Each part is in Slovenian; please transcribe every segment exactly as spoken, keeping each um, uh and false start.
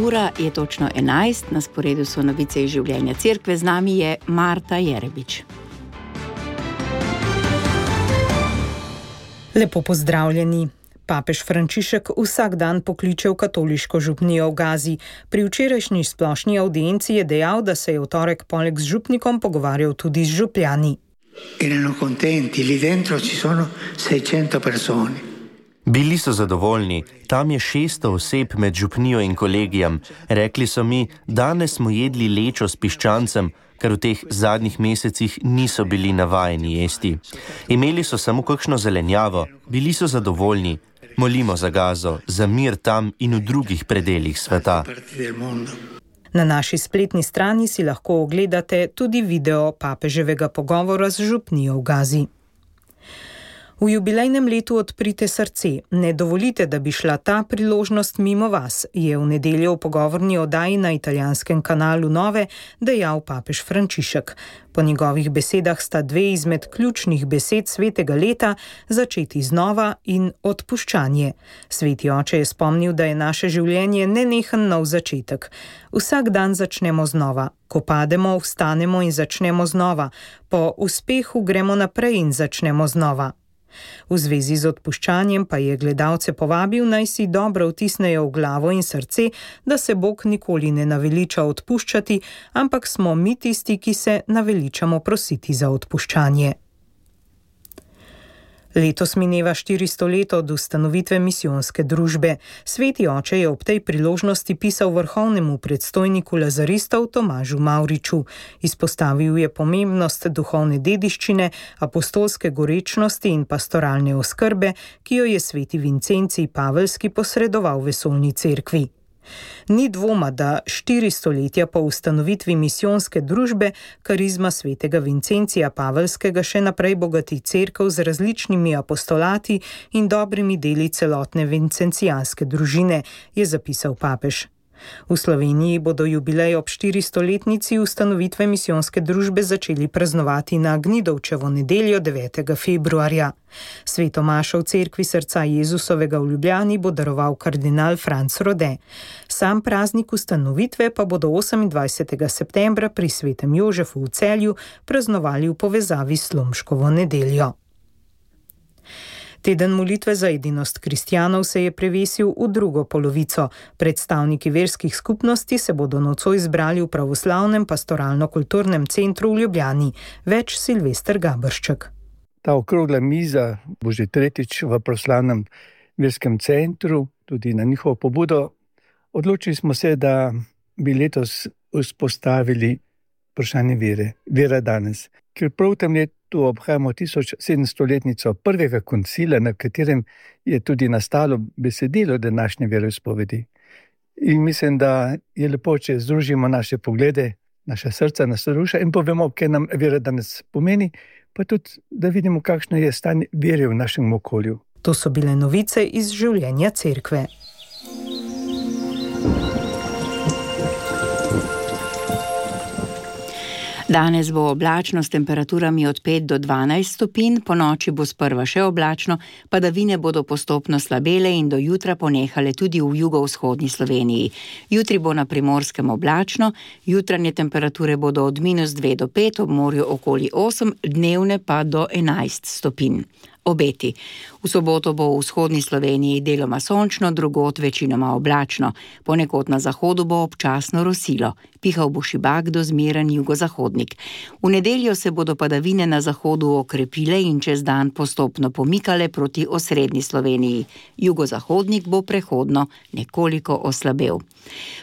Ura je točno enajst, na sporedu so novice iz življenja cerkve, z nami je Marta Jerebič. Lepo pozdravljeni. Papež Frančišek vsak dan pokliče v katoliško župnijo v Gazi. Pri včerajšnji splošni audienci je dejal, da se je v torek poleg z župnikom pogovarjal tudi z župljani. Erano contenti, lì dentro ci sono seicento persone. Bili so zadovoljni, tam je šeststo oseb med župnijo in kolegijem. Rekli so mi, danes smo jedli lečo s piščancem, ker v teh zadnjih mesecih niso bili navajeni jesti. Imeli so samo kakšno zelenjavo, bili so zadovoljni. Molimo za Gazo, za mir tam in v drugih predelih sveta. Na naši spletni strani si lahko ogledate tudi video papeževega pogovora z župnijo v Gazi. V jubilejnem letu Odprite srce, ne dovolite, da bi šla ta priložnost mimo vas, je v nedeljo v pogovorni oddaji na italijanskem kanalu Nove dejal papež Frančišek. Po njegovih besedah sta dve izmed ključnih besed svetega leta začeti znova in odpuščanje. Sveti oče je spomnil, da je naše življenje nenehen nov začetek. Vsak dan začnemo znova. Ko pademo, vstanemo in začnemo znova. Po uspehu gremo naprej in začnemo znova. V zvezi z odpuščanjem pa je gledalce povabil, naj si dobro vtisnejo v glavo in srce, da se Bog nikoli ne naveliča odpuščati, ampak smo mi tisti, ki se naveličamo prositi za odpuščanje. Letos mineva štiristo let od ustanovitve misijonske družbe. Sveti oče je ob tej priložnosti pisal vrhovnemu predstojniku lazaristov Tomažu Mavriču. Izpostavil je pomembnost duhovne dediščine, apostolske gorečnosti in pastoralne oskrbe, ki jo je sveti Vincencij Paveljski posredoval vesoljni cerkvi. Ni dvoma, da štiri stoletja po ustanovitvi misijonske družbe karizma svetega Vincencija Paveljskega še naprej bogati cerkev z različnimi apostolati in dobrimi deli celotne vincencijanske družine, je zapisal papež. V Sloveniji bodo jubilej ob štiristoletnici ustanovitve misijonske družbe začeli praznovati na Gnidovčevo nedeljo devetega februarja. Sveto mašo v cerkvi srca Jezusovega v Ljubljani bo daroval kardinal Franc Rode. Sam praznik ustanovitve pa bodo osemindvajsetega septembra pri svetem Jožefu v Celju praznovali v povezavi s Slomškovo nedeljo. Teden molitve za edinost kristjanov se je prevesil v drugo polovico. Predstavniki verskih skupnosti se bodo nocoj zbrali v pravoslavnem pastoralno-kulturnem centru v Ljubljani. Več Silvester Gabršček. Ta okrogla miza bo že tretjič v pravoslavnem verskem centru, tudi na njihovo pobudo. Odločili smo se, da bi letos vzpostavili vprašanje vere, vera danes. Ker prav v tem letu obhajamo tisoč sedemstoletnico prvega koncila, na katerem je tudi nastalo besedilo današnje veroizpovedi. In mislim, da je lepo, če združimo naše poglede, naša srca, naša duša in povemo, kaj nam vera danes pomeni, pa tudi, da vidimo, kakšno je stanje vere v našem okolju. To so bile novice iz življenja cerkve. Danes bo oblačno s temperaturami od pet do dvanajst stopinj, po noči bo sprva še oblačno, padavine bodo postopno slabele in do jutra ponehale tudi v jugovzhodni Sloveniji. Jutri bo na Primorskem oblačno, jutranje temperature bodo od minus dve do pet, ob morju okoli osem, dnevne pa do enajst stopinj. Obeti. V soboto bo v vzhodni Sloveniji deloma sončno, drugod večinoma oblačno. Ponekod na zahodu bo občasno rosilo. Pihal bo šibak do zmeren jugozahodnik. V nedeljo se bodo padavine na zahodu okrepile in čez dan postopno pomikale proti osrednji Sloveniji. Jugozahodnik bo prehodno nekoliko oslabel.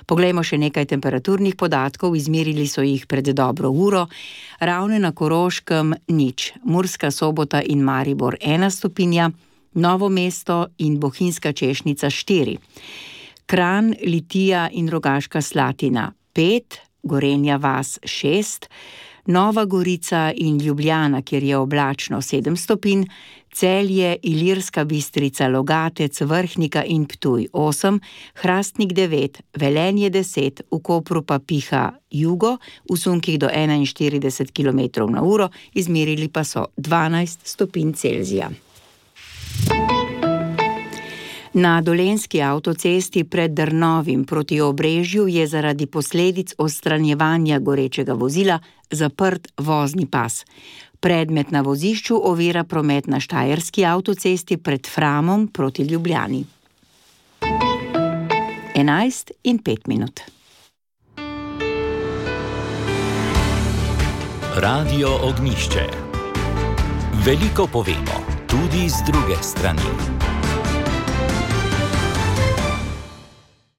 Poglejmo še nekaj temperaturnih podatkov, izmerili so jih pred dobro uro. Ravne na Koroškem nič, Murska Sobota in Maribor ena stopinja, Novo mesto in Bohinjska Češnica štiri. Kranj, Litija in Rogaška Slatina pet, Gorenja vas šest, Nova Gorica in Ljubljana, kjer je oblačno sedem stopinj, Celje, Ilirska Bistrica, Logatec, Vrhnika in Ptuj osem, Hrastnik devet, Velenje deset, v Kopru pa piha jugo, v sunkih do enainštirideset kilometrov na uro, izmerili pa so dvanajst stopinj Celzija. Na Dolenjski avtocesti pred Drnovim proti Obrežju je zaradi posledic odstranjevanja gorečega vozila zaprt vozni pas. Predmet na vozišču ovira promet na Štajerski avtocesti pred Framom proti Ljubljani. enajst in pet minut. Radio Ognjišče. Veliko povemo, tudi z druge strani.